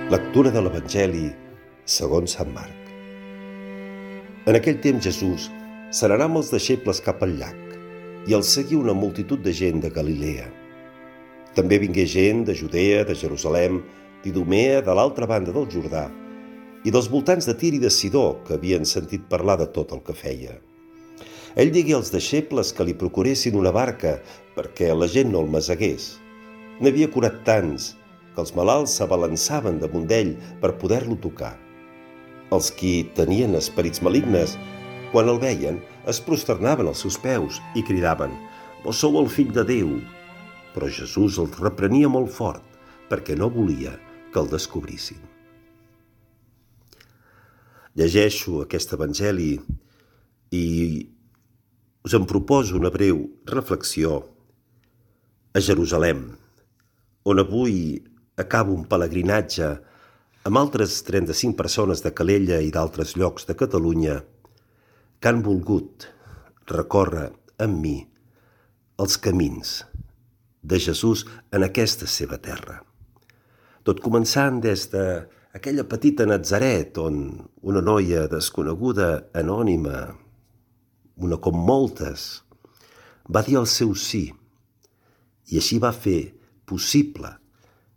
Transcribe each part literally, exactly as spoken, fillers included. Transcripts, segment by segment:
Lectura de l'Evangeli segons Sant Marc. En aquell temps Jesús se n'anà amb els deixebles cap al llac, i el seguí una multitud de gent de Galilea. També vingué gent de Judea, de Jerusalem, d'Idumea, de l'altra banda del Jordà, i dels voltants de Tir i de Sidó, que havien sentit parlar de tot el que feia. Ell digué als deixebles que li procuressin una barca perquè la gent no el masegués. N'havia curat tants que els malalts s'abalançaven damunt d'ell per poder-lo tocar. Els qui tenien esperits malignes, quan el veien, es prosternaven als seus peus i cridaven: «Vós sou el fill de Déu!» Però Jesús els reprenia molt fort, perquè no volia que el descobrissin. Llegeixo aquest evangeli i us en proposo una breu reflexió a Jerusalem, on avui acabo un pelegrinatge amb altres trenta-cinc persones de Calella i d'altres llocs de Catalunya que han volgut recórrer amb mi els camins de Jesús en aquesta seva terra. Tot començant des d'aquella petita Natzaret on una noia desconeguda, anònima, una com moltes, va dir el seu sí, i així va fer possible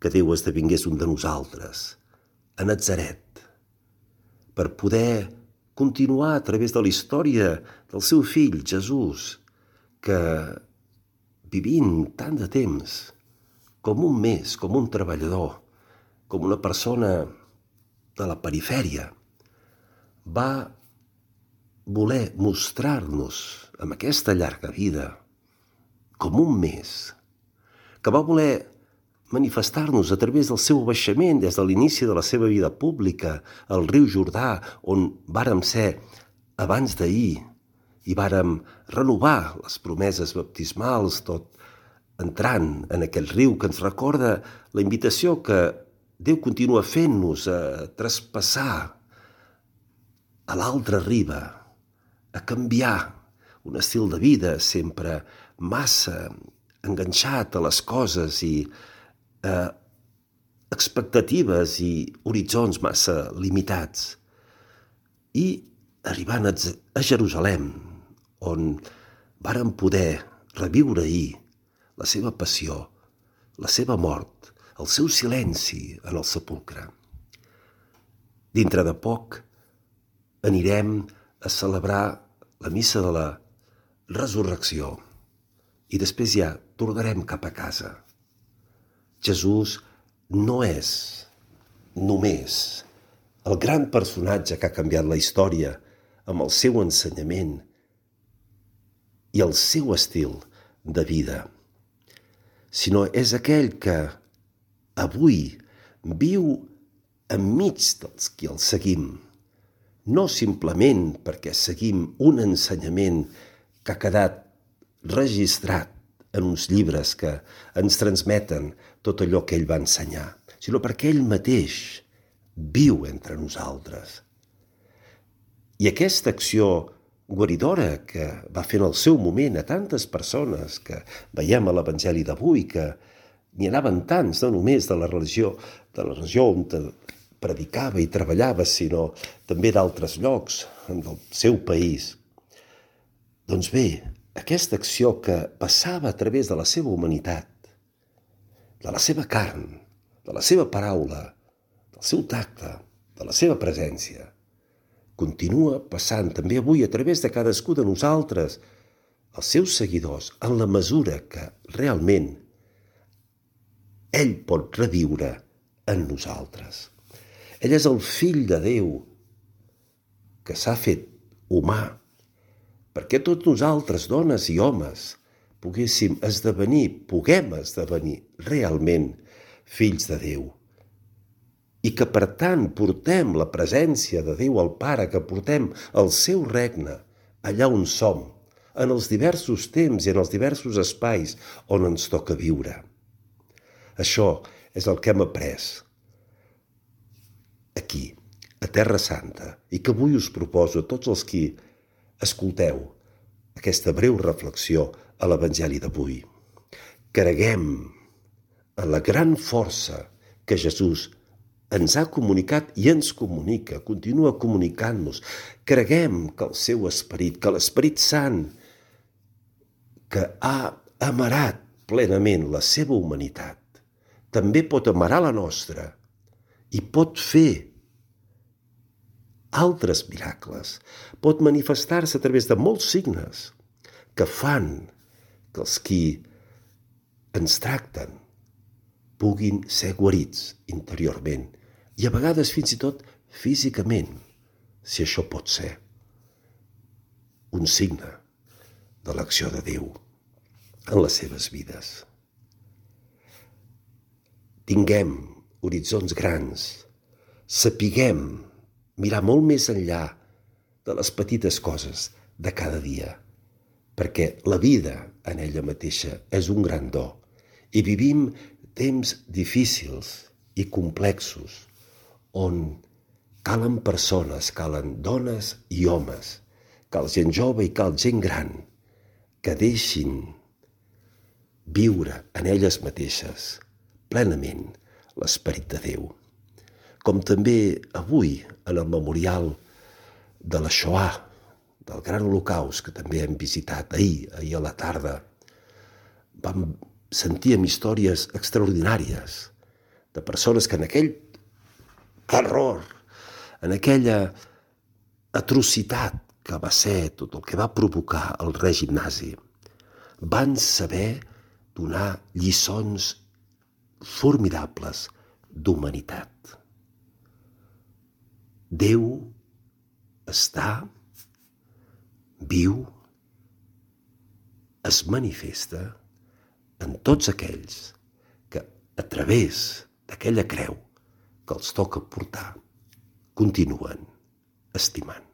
que Déu esdevingués un de nosaltres, a Natzaret, per poder continuar a través de la història del seu fill, Jesús, que vivint tant de temps, com un més, com un treballador, com una persona de la perifèria, va voler mostrar-nos amb aquesta llarga vida com un més, que va voler manifestar-nos a través del seu baixament des de l'inici de la seva vida pública al riu Jordà, on vàrem ser abans d'ahir i vàrem renovar les promeses baptismals, tot entrant en aquell riu que ens recorda la invitació que Déu continua fent-nos a traspassar a l'altra riba, a canviar un estil de vida sempre massa enganxat a les coses i a expectatives i horitzons massa limitats. I arribant a Jerusalem, on vàrem poder reviure ahir la seva passió, la seva mort, el seu silenci en el sepulcre. Dintre de poc anirem a celebrar la missa de la resurrecció i després ja tornarem cap a casa. Jesús no és només el gran personatge que ha canviat la història amb el seu ensenyament i el seu estil de vida, sinó és aquell que avui viu enmig dels qui el seguim, no simplement perquè seguim un ensenyament que ha quedat registrat en uns llibres que ens transmeten tot allò que ell va ensenyar, sinó perquè ell mateix viu entre nosaltres. I aquesta acció guaridora que va fer en el seu moment a tantes persones que veiem a l'Evangeli d'avui, que n'hi anaven tants, no només de la religió, de la regió on predicava i treballava, sinó també d'altres llocs del seu país. Doncs bé, aquesta acció que passava a través de la seva humanitat, de la seva carn, de la seva paraula, del seu tacte, de la seva presència, continua passant també avui a través de cadascú de nosaltres, els seus seguidors, en la mesura que realment ell pot reviure en nosaltres. Ell és el fill de Déu que s'ha fet humà, perquè tots nosaltres, dones i homes, poguéssim esdevenir, puguem esdevenir realment fills de Déu. I que, per tant, portem la presència de Déu al Pare, que portem el seu regne allà on som, en els diversos temps i en els diversos espais on ens toca viure. Això és el que hem après aquí, a Terra Santa, i que avui us proposo a tots els qui escolteu aquesta breu reflexió a l'Evangeli d'avui. Creguem en la gran força que Jesús ens ha comunicat i ens comunica, continua comunicant-nos. Creguem que el seu esperit, que l'Esperit Sant, que ha amarat plenament la seva humanitat, també pot amarar la nostra i pot fer altres miracles, pot manifestar-se a través de molts signes que fan que els qui ens tracten puguin ser guarits interiorment i a vegades fins i tot físicament, si això pot ser un signe de l'acció de Déu en les seves vides. Tinguem horitzons grans, sapiguem mirar molt més enllà de les petites coses de cada dia, perquè la vida en ella mateixa és un gran do i vivim temps difícils i complexos on calen persones, calen dones i homes, cal gent jove i cal gent gran que deixin viure en elles mateixes plenament l'esperit de Déu. Com també avui en el memorial de la Shoah, del Gran Holocaust, que també hem visitat ahir, ahir a la tarda, vam sentir històries extraordinàries de persones que en aquell terror, en aquella atrocitat que va ser tot el que va provocar el règim nazi, van saber donar lliçons formidables d'humanitat. Déu està, viu, es manifesta en tots aquells que a través d'aquella creu que els toca portar continuen estimant.